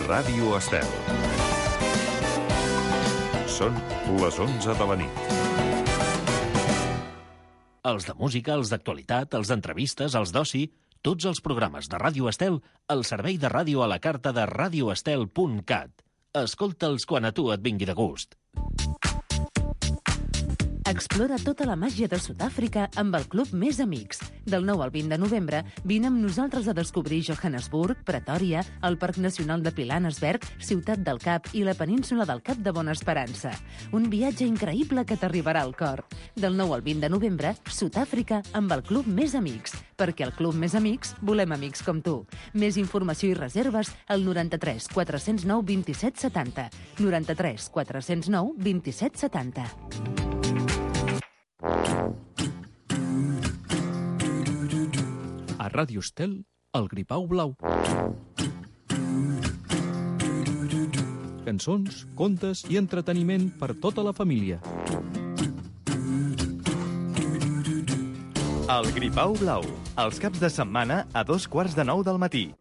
Ràdio Estel. Són les 11 de la nit. Els de música, els d'actualitat, els d'entrevistes, els d'oci, tots els programes de Ràdio Estel al servei de ràdio a la carta de radioestel.cat. Escolta'ls quan a tu et vingui de gust. Explora tota la màgia de Sud-àfrica amb el Club Més Amics. Del 9 al 20 de novembre, vine amb nosaltres a descobrir Johannesburg, Pretòria, el Parc Nacional de Pilanesberg, Ciutat del Cap i la península del Cap de Bona Esperança. Un viatge increïble que t'arribarà al cor. Del 9 al 20 de novembre, Sud-àfrica amb el Club Més Amics. Perquè al Club Més Amics volem amics com tu. Més informació i reserves al 93 409 27 70. 93 409 27 70. A Ràdio Estel, el Gripau Blau. Cançons, contes i entreteniment per tota la família. El Gripau Blau, els caps de setmana a 8:45 del matí.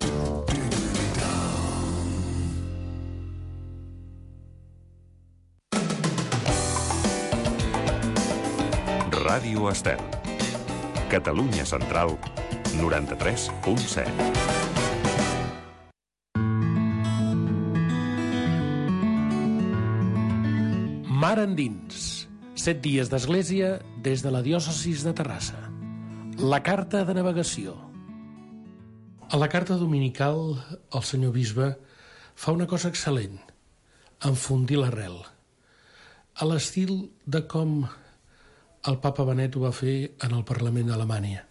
Ràdio Estel. Catalunya Central, 93.7. Mar endins. 7 dies d'església des de la diòcesis de Terrassa. La carta de navegació. A la carta dominical, el senyor bisbe fa una cosa excel·lent: enfondir l'arrel. A l'estil de com el papa Benet ho va fer en el Parlament d'Alemanya.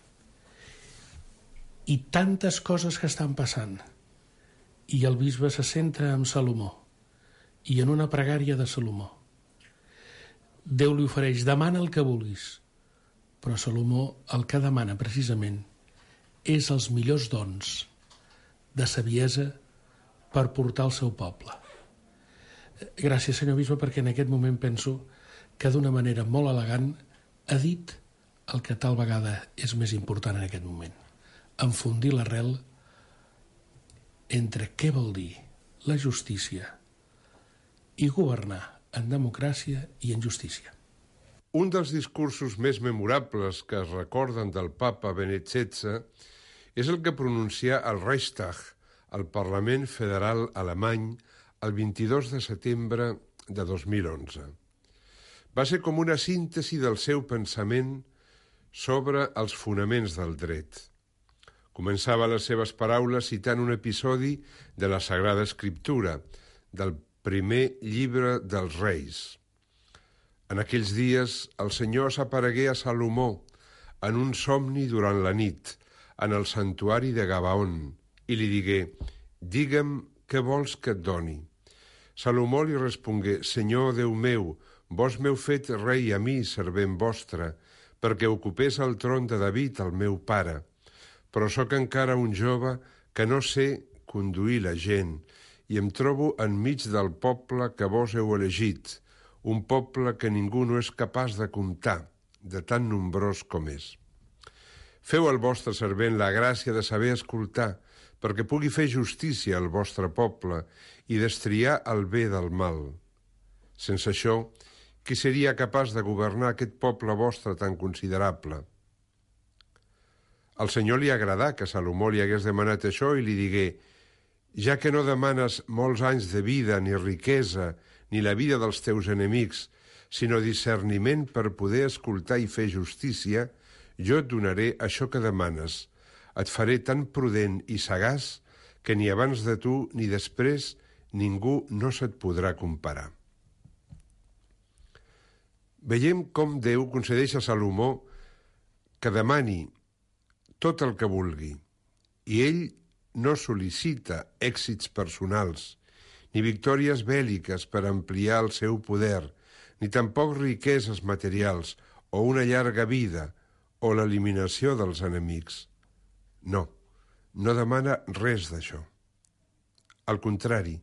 I tantes coses que estan passant. I el bisbe se centra en Salomó i en una pregària de Salomó. Déu li ofereix: demana el que vulguis. Però Salomó el que demana precisament és els millors dons de saviesa per portar al seu poble. Gràcies, senyor bisbe, perquè en aquest moment penso que d'una manera molt elegant ha dit el que tal vegada és més important en aquest moment: enfondir l'arrel entre què vol dir la justícia i governar en democràcia i en justícia. Un dels discursos més memorables que es recorden del papa Benet XVI és el que pronuncià al Reichstag, al Parlament Federal alemany, el 22 de setembre de 2011. Va ser com una síntesi del seu pensament sobre els fonaments del dret. Començava les seves paraules citant un episodi de la Sagrada Escriptura, del primer llibre dels Reis. En aquells dies, el Senyor s'aparegué a Salomó en un somni durant la nit, en el santuari de Gabaon, i li digué: «Digue'm què vols que et doni». Salomó li respongué: «Senyor Déu meu, vos m'heu fet rei a mi, servent vostre, perquè ocupés el tron de David, el meu pare. Però sóc encara un jove que no sé conduir la gent, i em trobo enmig del poble que vos heu elegit, un poble que ningú no és capaç de comptar, de tan nombrós com és. Feu al vostre servent la gràcia de saber escoltar, perquè pugui fer justícia al vostre poble i destriar el bé del mal. Sense això, qui seria capaç de governar aquest poble vostre tan considerable?» Al Senyor li agradà que Salomó li hagués demanat això i li digué: «Ja que no demanes molts anys de vida, ni riquesa, ni la vida dels teus enemics, sinó discerniment per poder escoltar i fer justícia, jo et donaré això que demanes. Et faré tan prudent i sagaç que ni abans de tu ni després ningú no se't podrà comparar». Veiem com Déu concedeix a Salomó que demani tot el que vulgui, i ell no sol·licita èxits personals, ni victòries bèl·liques per ampliar el seu poder, ni tampoc riqueses materials, o una llarga vida, o l'eliminació dels enemics. No, no demana res d'això. Al contrari,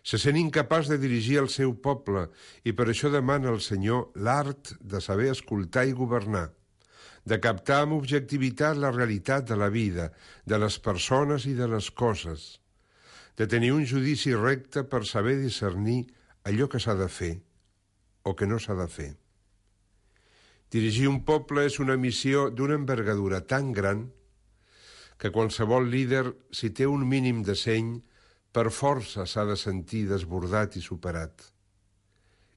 se sent incapaç de dirigir el seu poble i per això demana al Senyor l'art de saber escoltar i governar, de captar amb objectivitat la realitat de la vida, de les persones i de les coses, de tenir un judici recte per saber discernir allò que s'ha de fer o que no s'ha de fer. Dirigir un poble és una missió d'una envergadura tan gran que qualsevol líder, si té un mínim de seny, per força s'ha de sentir desbordat i superat.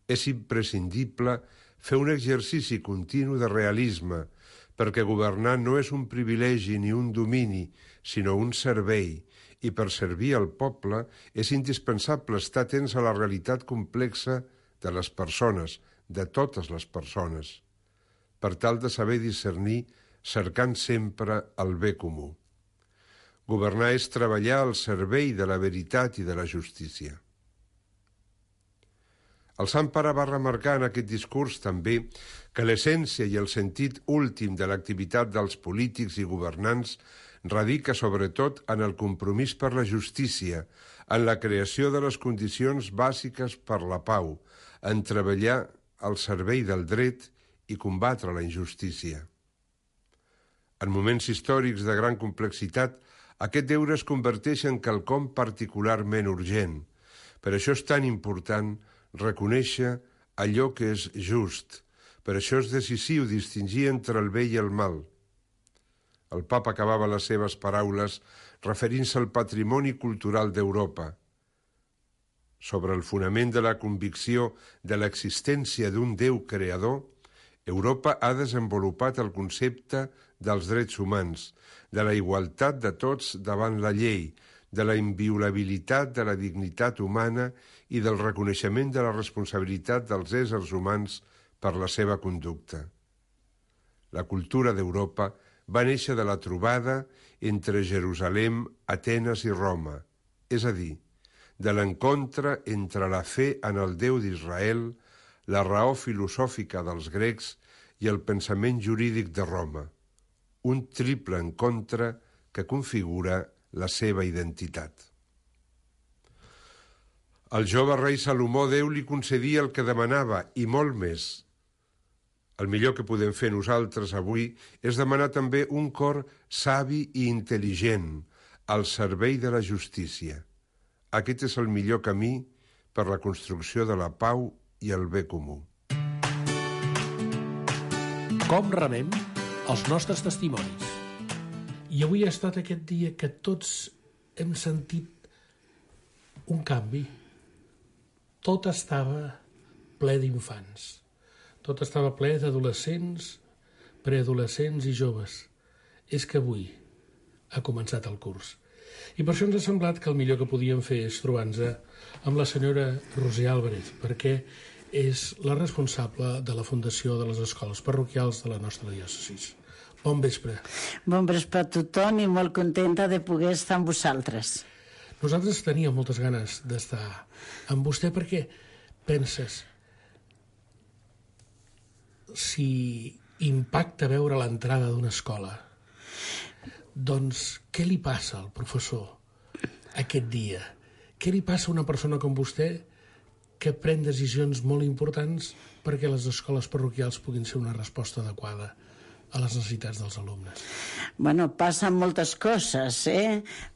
És imprescindible fer un exercici continu de realisme, perquè governar no és un privilegi ni un domini, sinó un servei, i per servir al poble és indispensable estar atents a la realitat complexa de les persones, de totes les persones, per tal de saber discernir, cercant sempre el bé comú. Governar és treballar al servei de la veritat i de la justícia. El Sant Pare va remarcar en aquest discurs també que l'essència i el sentit últim de l'activitat dels polítics i governants radica sobretot en el compromís per la justícia, en la creació de les condicions bàsiques per la pau, en treballar al servei del dret i combatre la injustícia. En moments històrics de gran complexitat, aquest deure es converteix en quelcom particularment urgent. Per això és tan important reconèixer allò que és just. Per això és decisiu distingir entre el bé i el mal. El papa acabava les seves paraules referint-se al patrimoni cultural d'Europa. Sobre el fonament de la convicció de l'existència d'un Déu creador, Europa ha desenvolupat el concepte dels drets humans, de la igualtat de tots davant la llei, de la inviolabilitat de la dignitat humana i del reconeixement de la responsabilitat dels éssers humans per la seva conducta. La cultura d'Europa va néixer de la trobada entre Jerusalem, Atenes i Roma, és a dir, de l'encontre entre la fe en el Déu d'Israel, la raó filosòfica dels grecs i el pensament jurídic de Roma, un triple encontre que configura la seva identitat. Al jove rei Salomó Déu li concedia el que demanava i molt més. El millor que podem fer nosaltres avui és demanar també un cor savi i intel·ligent al servei de la justícia. Aquest és el millor camí per la construcció de la pau i el bé comú. Com rebem els nostres testimonis? I avui ha estat aquest dia que tots hem sentit un canvi. Tot estava ple d'infants. Tot estava ple d'adolescents, preadolescents i joves. És que avui ha començat el curs. I per això ens ha semblat que el millor que podíem fer és trobar-nos amb la senyora Roser Álvarez, perquè és la responsable de la Fundació de les Escoles Parroquials de la nostra diòcesi. Bon vespre. Bon vespre a tothom i molt contenta de poder estar amb vosaltres. Nosaltres teníem moltes ganes d'estar amb vostè perquè penses si impacta veure l'entrada d'una escola, doncs què li passa al professor aquest dia? Què li passa a una persona com vostè que pren decisions molt importants perquè les escoles parroquials puguin ser una resposta adequada a les necessitats dels alumnes? Bueno, passen moltes coses,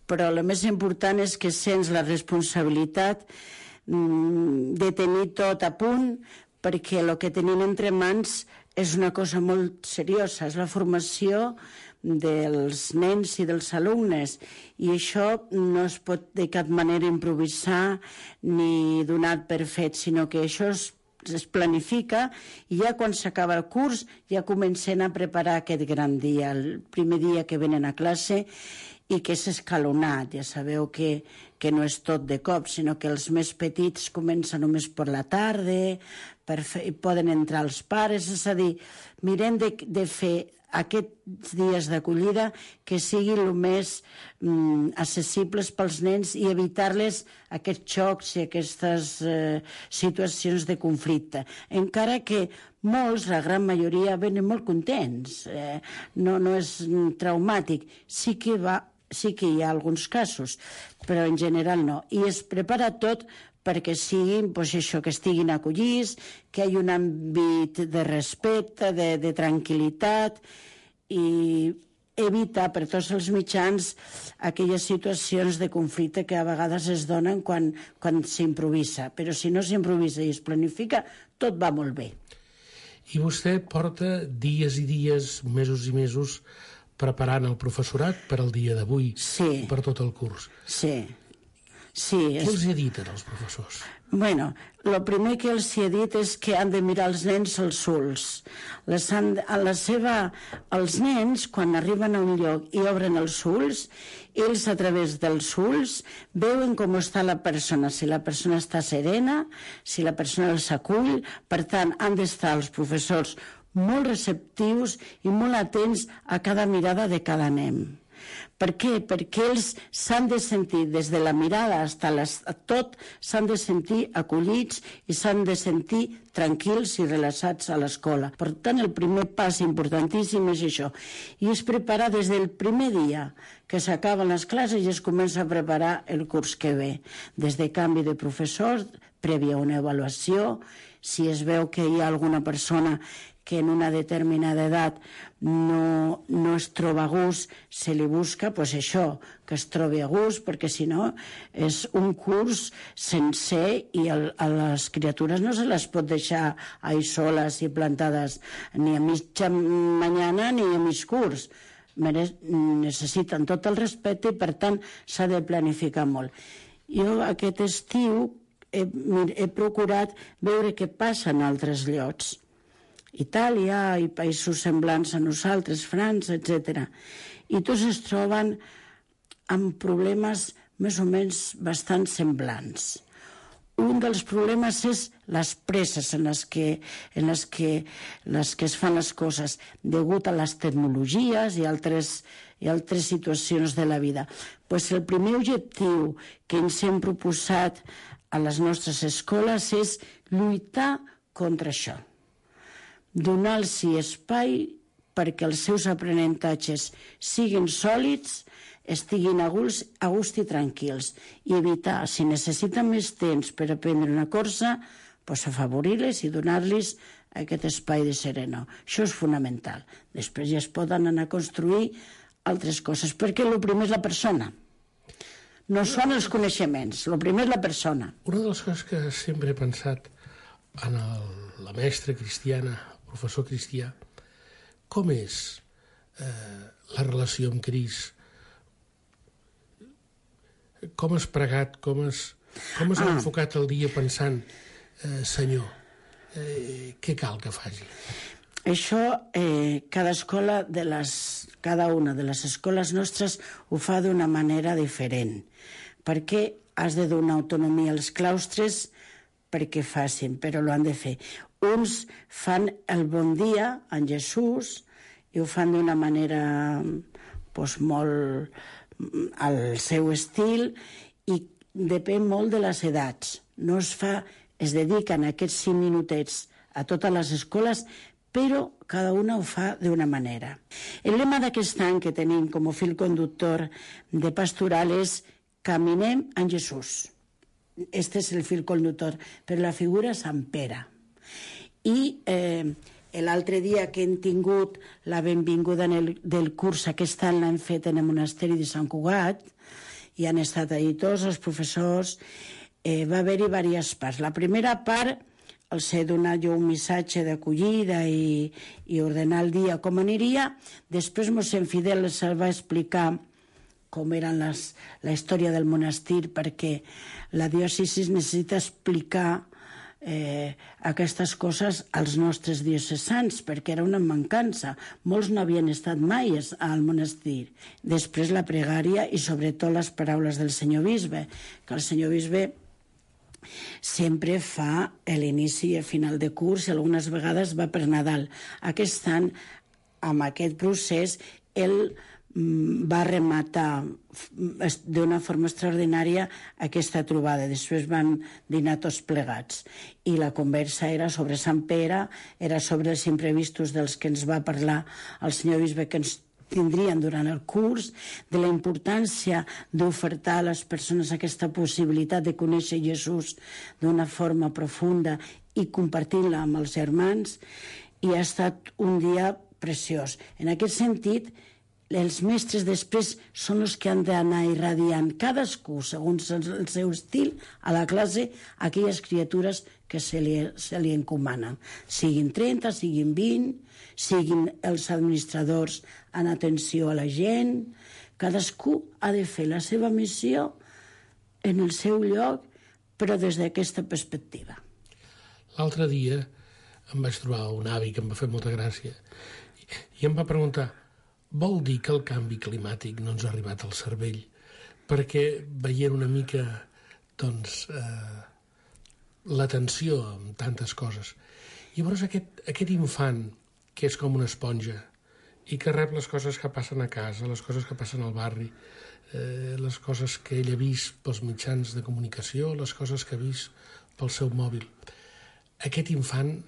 però el més important és que sents la responsabilitat de tenir tot a punt, perquè el que tenim entre mans és una cosa molt seriosa, és la formació dels nens i dels alumnes, i això no es pot de cap manera improvisar ni donar per fet, sinó que això es planifica i ja quan s'acaba el curs ja comencen a preparar aquest gran dia, el primer dia que venen a classe, i que és escalonat. Ja sabeu que no és tot de cop, sinó que els més petits comencen només per la tarda, poden entrar els pares, és a dir, mirem de fer aquests dies d'acollida que siguin el més accessibles pels nens i evitar-les aquests xocs i aquestes situacions de conflicte. Encara que molts, la gran majoria, venen molt contents. No és traumàtic. Sí que hi ha alguns casos, però en general no. I es prepara tot perquè siguin, això, que estiguin acollits, que hi hagi un àmbit de respecte, de tranquil·litat, i evitar per tots els mitjans aquelles situacions de conflicte que a vegades es donen quan s'improvisa. Però si no s'improvisa i es planifica, tot va molt bé. I vostè porta dies i dies, mesos i mesos, preparant el professorat per al dia d'avui, per tot el curs. Sí. Què els he dit als professors? Bueno, el primer que els he dit és que han de mirar els nens als ulls. Els nens, quan arriben a un lloc i obren els ulls, ells a través dels ulls veuen com està la persona, si la persona està serena, si la persona els acull. Per tant, han d'estar els professors molt receptius i molt atents a cada mirada de cada nen. Per què? Perquè ells s'han de sentir, des de la mirada a tot, s'han de sentir acollits i s'han de sentir tranquils i relaxats a l'escola. Per tant, el primer pas importantíssim és això. I es prepara des del primer dia que s'acaben les classes i es comença a preparar el curs que ve. Des de canvi de professors, prèvia una avaluació, si es veu que hi ha alguna persona que en una determinada edat no es troba a gust, se li busca, doncs això, que es trobi a gust, perquè si no és un curs sencer i a les criatures no se les pot deixar ahí soles i plantades ni a mitja mañana ni a mig curs. Necessiten tot el respecte i per tant s'ha de planificar molt. Jo aquest estiu he procurat veure què passa en altres llocs. Itàlia i països semblants a nosaltres, França, etc. I tots es troben amb problemes més o menys bastant semblants. Un dels problemes és les presses en les que es fan les coses degut a les tecnologies i altres situacions de la vida. Pues el primer objectiu que ens hem proposat a les nostres escoles és lluitar contra això. Donar-los espai perquè els seus aprenentatges siguin sòlids, estiguin a gust i tranquils, i evitar, si necessiten més temps per aprendre una cosa, doncs afavorir-les i donar-los aquest espai de sereno. Això és fonamental. Després ja es poden anar a construir altres coses, perquè el primer és la persona. No són els coneixements, el primer és la persona. Una de les coses que sempre he pensat en la mestra cristiana, professor cristià, com és la relació amb Crist? Com has pregat, com has enfocat el dia pensant, Senyor, què cal que faci? Això, cada una de les escoles nostres ho fa d'una manera diferent, perquè has de donar autonomia als claustres perquè facin, però ho han de fer. Uns fan el bon dia en Jesús i ho fan d'una manera molt al seu estil i depèn molt de les edats. No es dediquen aquests 5 minutets a totes les escoles, però cada una ho fa d'una manera. El lema d'aquest any que tenim com a fil conductor de pastoral és Caminem en Jesús. Este és el fil conductor, però la figura és Sant Pere. I l'altre dia que hem tingut la benvinguda del curs, aquest any l'hem fet en el monasteri de Sant Cugat, i han estat allà tots els professors, va haver-hi diverses parts. La primera part els he donat jo un missatge d'acollida i ordenar el dia com aniria. Després mossèn Fidel els va explicar com era la història del monestir, perquè la diòcesi necessita explicar aquestes coses als nostres diocesans, perquè era una mancança. Molts no havien estat mai al monestir. Després la pregària i sobretot les paraules del senyor bisbe, que el senyor bisbe sempre fa l'inici i el final de curs i algunes vegades va per Nadal. Aquest any, amb aquest procés, ell va rematar d'una forma extraordinària aquesta trobada. Després van dinar tots plegats i la conversa era sobre Sant Pere, era sobre els imprevistos dels que ens va parlar el senyor bisbe que ens tindrien durant el curs, de la importància d'ofertar a les persones aquesta possibilitat de conèixer Jesús d'una forma profunda i compartir-la amb els germans, i ha estat un dia preciós. En aquest sentit, els mestres després són els que han d'anar irradiant cadascú, segons el seu estil, a la classe, aquelles criatures que se li encomanen. Siguin 30, siguin 20, siguin els administradors en atenció a la gent. Cadascú ha de fer la seva missió en el seu lloc, però des d'aquesta perspectiva. L'altre dia em vaig trobar un avi que em va fer molta gràcia i em va preguntar: vol dir que el canvi climàtic no ens ha arribat al cervell? Perquè veient una mica, doncs, la tensió amb tantes coses. I llavors aquest infant, que és com una esponja, i que rep les coses que passen a casa, les coses que passen al barri, les coses que ell ha vist pels mitjans de comunicació, les coses que ha vist pel seu mòbil. Aquest infant,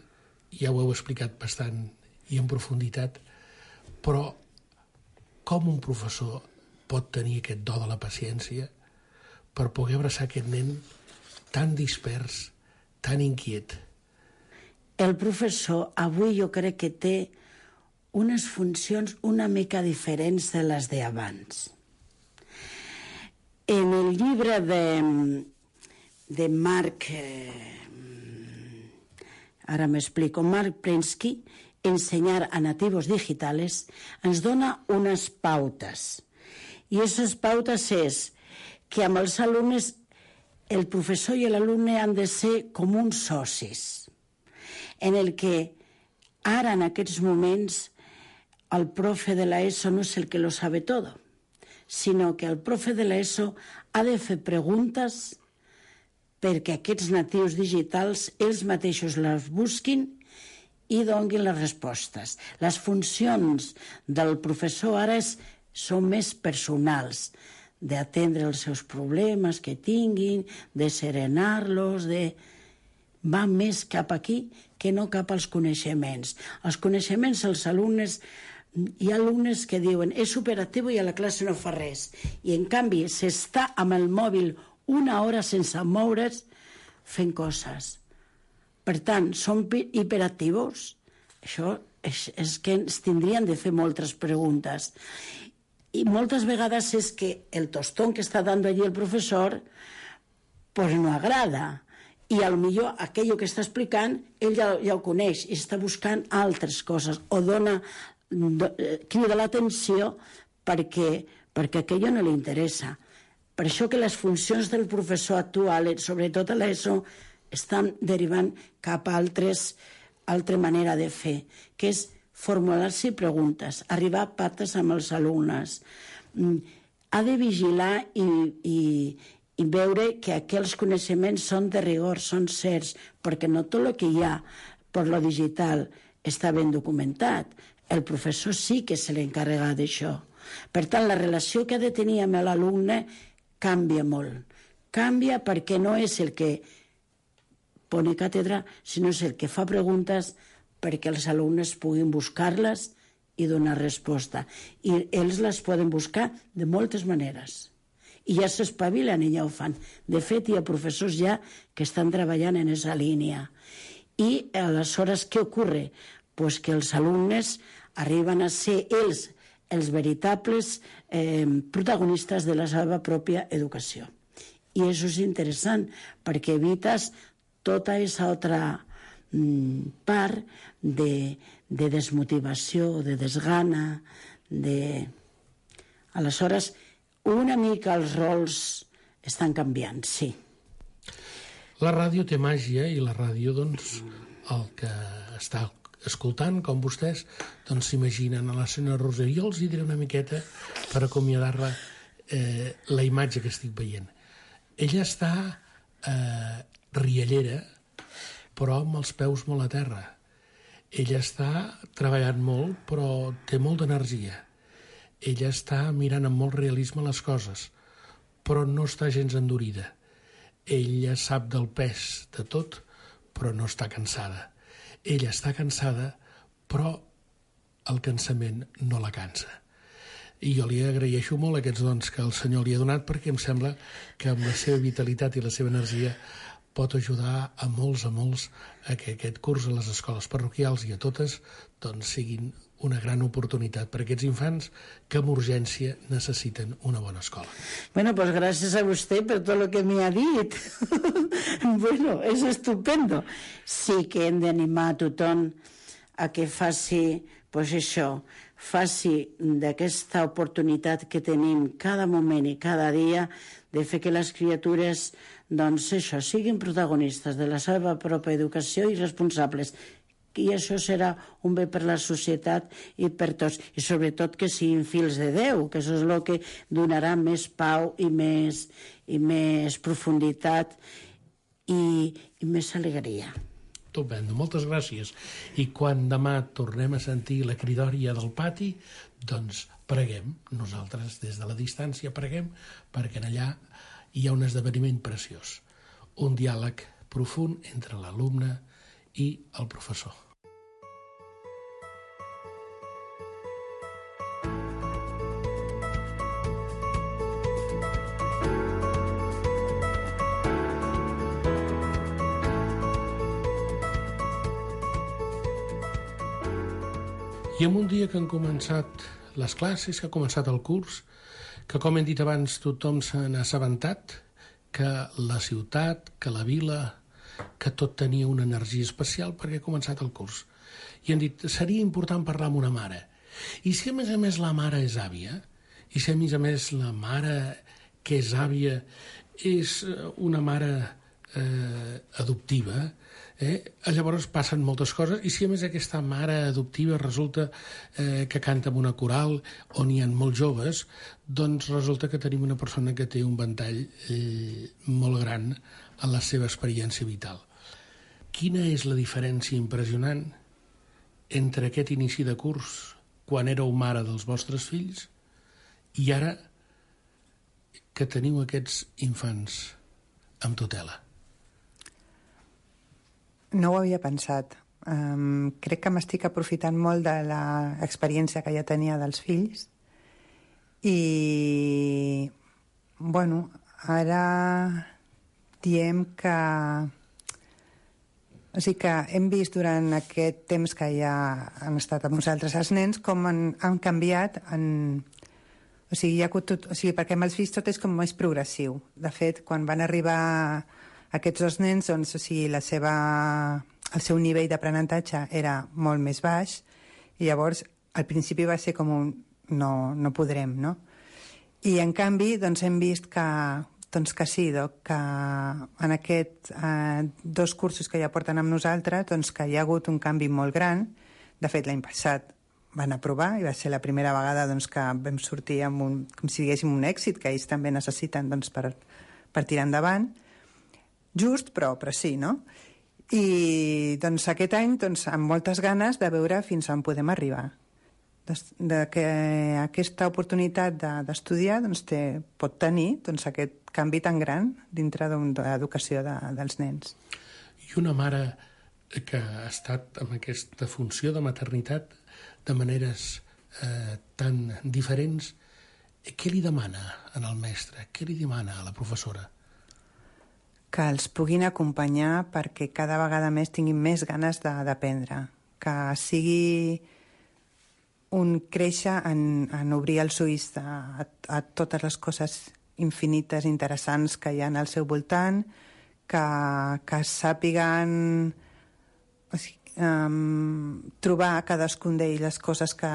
ja ho heu explicat bastant i en profunditat, però com un professor pot tenir aquest do de la paciència per poder abraçar aquest nen tan dispers, tan inquiet? El professor avui jo crec que té unes funcions una mica diferents de les d'abans. En el llibre de Marc, ara m'explico, Marc Prensky, Ensenyar a nativos digitales, ens dona unes pautes. I aquestes pautes és que amb els alumnes el professor i l'alumne han de ser com uns socis, en el que ara en aquests moments el profe de l'ESO no és el que lo sabe todo, sinó que el profe de l'ESO ha de fer preguntes perquè aquests natius digitals ells mateixos les busquin i donin les respostes. Les funcions del professor ara són més personals, d'atendre els seus problemes que tinguin, de serenar-los, va més cap aquí que no cap als coneixements. Els coneixements, els alumnes, hi ha alumnes que diuen és superactiu i a la classe no fa res, i en canvi s'està amb el mòbil una hora sense moure's fent coses. Per tant, són hiperactius. Això és que ens tindrien de fer moltes preguntes. I moltes vegades és que el tostón que està dando allí el professor pues no agrada. I a lo millor aquello que està explicant ell ja ho coneix i està buscant altres coses o crida l'atenció perquè aquello no li interessa. Per això que les funcions del professor actual, sobretot a l'ESO, estan derivant cap a altra manera de fer, que és formular-se preguntes, arribar a pactes amb els alumnes. Ha de vigilar i veure que aquells coneixements són de rigor, són certs, perquè no tot el que hi ha per lo digital està ben documentat. El professor sí que se l'encarrega d'això. Per tant, la relació que ha de tenir amb l'alumne canvia molt. Canvia perquè no és el que pone càtedra, sinó és el que fa preguntes perquè els alumnes puguin buscar-les i donar resposta. I ells les poden buscar de moltes maneres. I ja s'espavilen i ja ho fan. De fet, hi ha professors ja que estan treballant en aquesta línia. I aleshores, què ocorre? Pues que els alumnes arriben a ser ells els veritables protagonistes de la seva pròpia educació. I això és interessant, perquè evites tota aquesta altra part de desmotivació, de desgana, Aleshores, una mica els rols estan canviant, sí. La ràdio té màgia i la ràdio, doncs, el que està escoltant, com vostès, doncs s'imaginen a la senyora Roser. Jo els hi diré una miqueta per acomiadar-la la imatge que estic veient. Ella està riallera, però amb els peus molt a terra. Ella està treballant molt, però té molt d'energia. Ella està mirant amb molt realisme les coses, però no està gens endurida. Ella sap del pes de tot, però no està cansada. Ella està cansada, però el cansament no la cansa. I jo li agraeixo molt aquests dons que el Senyor li ha donat, perquè em sembla que amb la seva vitalitat i la seva energia pot ajudar a molts a que aquest curs a les escoles parroquials i a totes doncs siguin una gran oportunitat per a aquests infants que amb urgència necessiten una bona escola. Bueno, pues gracias a usted por todo lo que me ha dit. Bueno, és estupendo. Sí que hem d'animar a tothom a que faci, pues això, faci d'aquesta oportunitat que tenim cada moment i cada dia de fer que les criatures, doncs això, siguin protagonistes de la seva pròpia educació i responsables. I això serà un bé per la societat i per tots. I sobretot que siguin fills de Déu, que això és el que donarà més pau i més profunditat i més alegria. Estupendo, moltes gràcies. I quan demà tornem a sentir la cridòria del pati, doncs preguem, nosaltres des de la distància preguem, perquè allà hi ha un esdeveniment preciós, un diàleg profund entre l'alumne i el professor. I en un dia que han començat les classes, que ha començat el curs, que com hem dit abans tothom se n'ha assabentat, que la ciutat, que la vila, que tot tenia una energia especial perquè ha començat el curs. I han dit, seria important parlar amb una mare. I si a més la mare és àvia, i si a més la mare que és àvia és una mare adoptiva, llavors passen moltes coses, i si a més aquesta mare adoptiva resulta que canta en una coral on hi ha molts joves, doncs resulta que tenim una persona que té un ventall molt gran en la seva experiència vital. Quina és la diferència impressionant entre aquest inici de curs, quan éreu mare dels vostres fills, i ara que teniu aquests infants amb tutela? No ho havia pensat. Crec que m'estic aprofitant molt de l'experiència que ja tenia dels fills i, bueno, ara diem que... O sigui que hem vist durant aquest temps que ja han estat amb nosaltres els nens com han canviat O sigui, perquè amb els fills tot és com més progressiu. De fet, quan van arribar aquests dos nens, doncs, o sigui, el seu nivell d'aprenentatge era molt més baix i llavors al principi va ser com un no podrem, no? I en canvi doncs, hem vist que sí, que en aquests dos cursos que ja porten amb nosaltres doncs, que hi ha hagut un canvi molt gran. De fet, l'any passat van aprovar i va ser la primera vegada doncs, que vam sortir amb com si diguéssim un èxit que ells també necessiten doncs, per tirar endavant. Just, però sí, no? I doncs, aquest any doncs, amb moltes ganes de veure fins on podem arribar. Que aquesta oportunitat d'estudiar doncs, pot tenir doncs, aquest canvi tan gran dintre de l'educació dels nens. I una mare que ha estat amb aquesta funció de maternitat de maneres tan diferents, què li demana al mestre? Què li demana a la professora? Que els puguin acompanyar perquè cada vegada més tinguin més ganes d'aprendre. Que sigui un créixer en obrir els ulls a totes les coses infinites, interessants que hi ha al seu voltant, que sàpiguen trobar a cadascun d'ells les coses que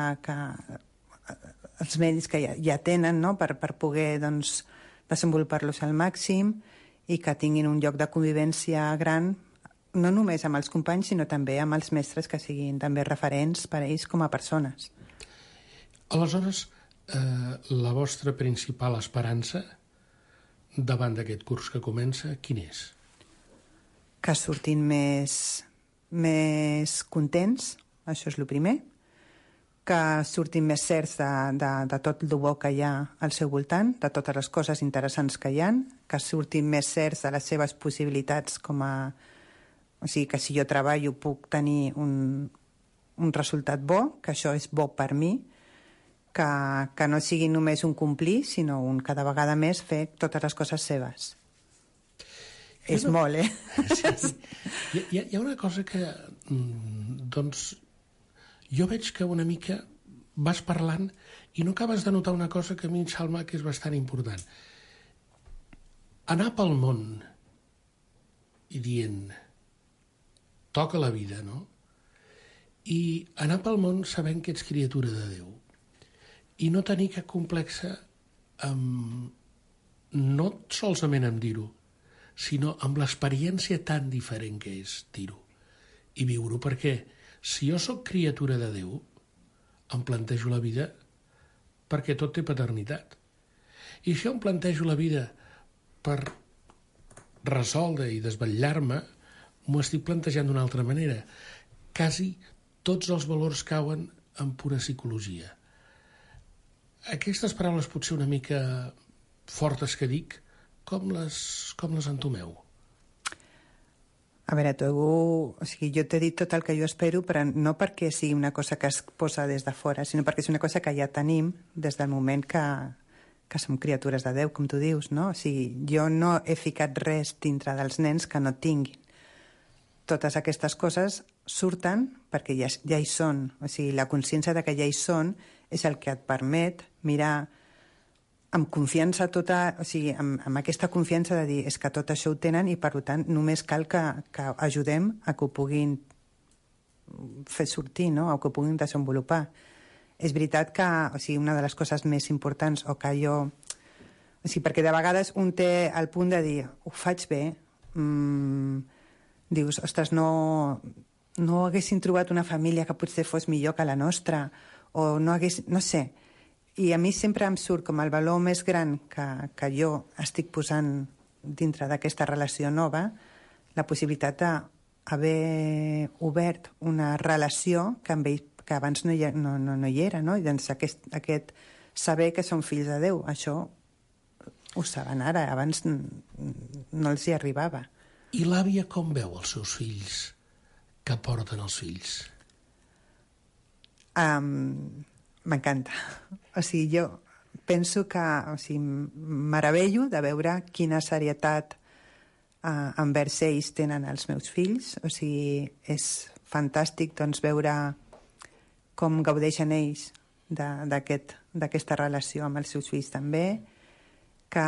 els medis que ja tenen, no? per poder doncs, desenvolupar-los al màxim i que tinguin un lloc de convivència gran, no només amb els companys, sinó també amb els mestres que siguin també referents per a ells com a persones. Aleshores, la vostra principal esperança davant d'aquest curs que comença, quin és? Que surtin més contents, això és el primer, que surtin més certs de tot el bo que hi ha al seu voltant, de totes les coses interessants que hi ha, que surtin més certs de les seves possibilitats O sigui, que si jo treballo puc tenir un resultat bo, que això és bo per mi, que no sigui només un complir, sinó un cada vegada més fer totes les coses seves. És molt, Sí. Hi ha una cosa que, doncs, jo veig que una mica vas parlant i no acabes de notar una cosa que a mi em sembla que és bastant important. Anar pel món i dient toca la vida, no? I anar pel món sabent que ets criatura de Déu i no tenir cap complexa no solament amb dir-ho, sinó amb l'experiència tan diferent que és dir-ho i viure-ho, perquè si jo sóc criatura de Déu em plantejo la vida perquè tot té paternitat. I si jo em plantejo la vida per resoldre i desvetllar-me, m'ho estic plantejant d'una altra manera. Quasi tots els valors cauen en pura psicologia. Aquestes paraules potser una mica fortes que dic, com les entomeu? A veure, jo t'he dit tot el que jo espero, però no perquè sigui una cosa que es posa des de fora, sinó perquè és una cosa que ja tenim des del moment que som criatures de Déu, com tu dius, no? O sigui, jo no he ficat res dintre dels nens que no tinguin. Totes aquestes coses surten perquè ja hi són. O sigui, la consciència de que ja hi són és el que et permet mirar amb confiança tota, o sigui, amb aquesta confiança de dir és que tot això ho tenen i per tant només cal que ajudem a que ho puguin fer sortir, no? O que ho puguin desenvolupar. És veritat que, o sigui, una de les coses més importants o que jo... O sigui, perquè de vegades un té el punt de dir ho faig bé, dius, ostres, no haguessin trobat una família que potser fos millor que la nostra, o no hagués... no sé. I a mi sempre em surt com el valor més gran que jo estic posant dintre d'aquesta relació nova, la possibilitat d'haver obert una relació que amb ell que abans no hi era, no? I doncs aquest saber que són fills de Déu, això ho saben ara, abans no els hi arribava. I l'àvia com veu els seus fills que porten els fills? M'encanta. O sigui, jo penso que meravello de veure quina serietat envers ells tenen els meus fills. O sigui, és fantàstic doncs, veure com gaudeixen ells d'aquesta relació amb els seus fills també, que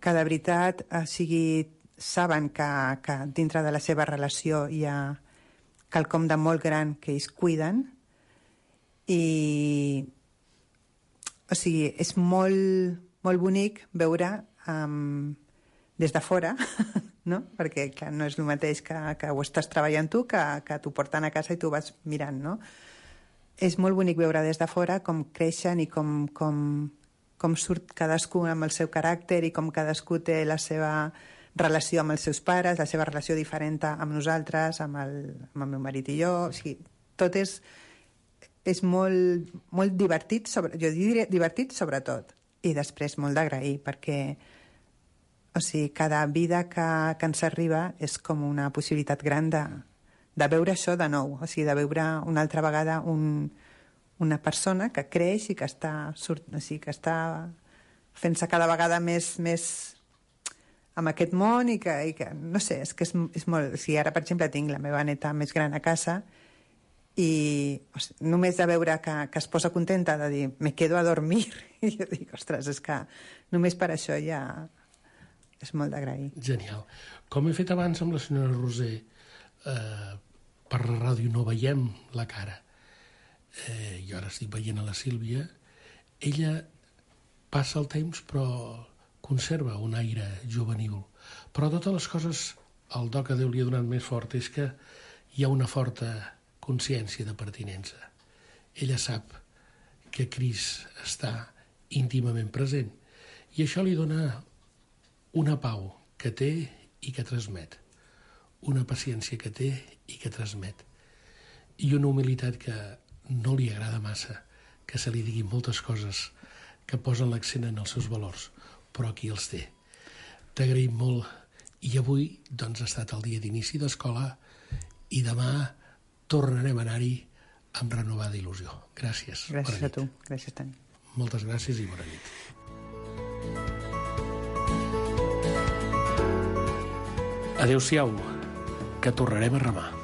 de veritat saben que dintre de la seva relació hi ha quelcom de molt gran que ells cuiden i o sigui, és molt, molt bonic veure des de fora, no? Perquè clar, no és el mateix que ho estàs treballant tu que t'ho porten a casa i tu vas mirant, no? És molt bonic veure des de fora com creixen i com surt cadascú amb el seu caràcter i com cadascú té la seva relació amb els seus pares, la seva relació diferent amb nosaltres, amb el meu marit i jo. O sigui, tot és molt, molt divertit, jo diria divertit sobretot, i després molt d'agrair, perquè o sigui, cada vida que ens arriba és com una possibilitat gran de veure això de nou, o sigui, de veure una altra vegada una persona que creix i que està fent-se cada vegada més amb aquest món i que no sé, és que és molt... O sigui, ara, per exemple, tinc la meva neta més gran a casa i només de veure que es posa contenta de dir me quedo a dormir i jo dic, ostres, és que només per això ja és molt d'agrair. Genial. Com he fet abans amb la senyora Roser, per la ràdio no veiem la cara. Jo ara estic veient a la Sílvia. Ella passa el temps però conserva un aire juvenil. Però totes les coses, el do que Déu li ha donat més fort és que hi ha una forta consciència de pertinença. Ella sap que Crist està íntimament present i això li dona una pau que té i que transmet, una paciència que té i que transmet, i una humilitat que no li agrada massa, que se li diguin moltes coses que posen l'accent en els seus valors, però aquí els té. T'agraïm molt, i avui doncs, ha estat el dia d'inici d'escola i demà tornarem a anar-hi amb renovada il·lusió. Gràcies. Gràcies a tu. Gràcies, Toni. Moltes gràcies i bona nit. Adéu-siau, que tornarem a remar.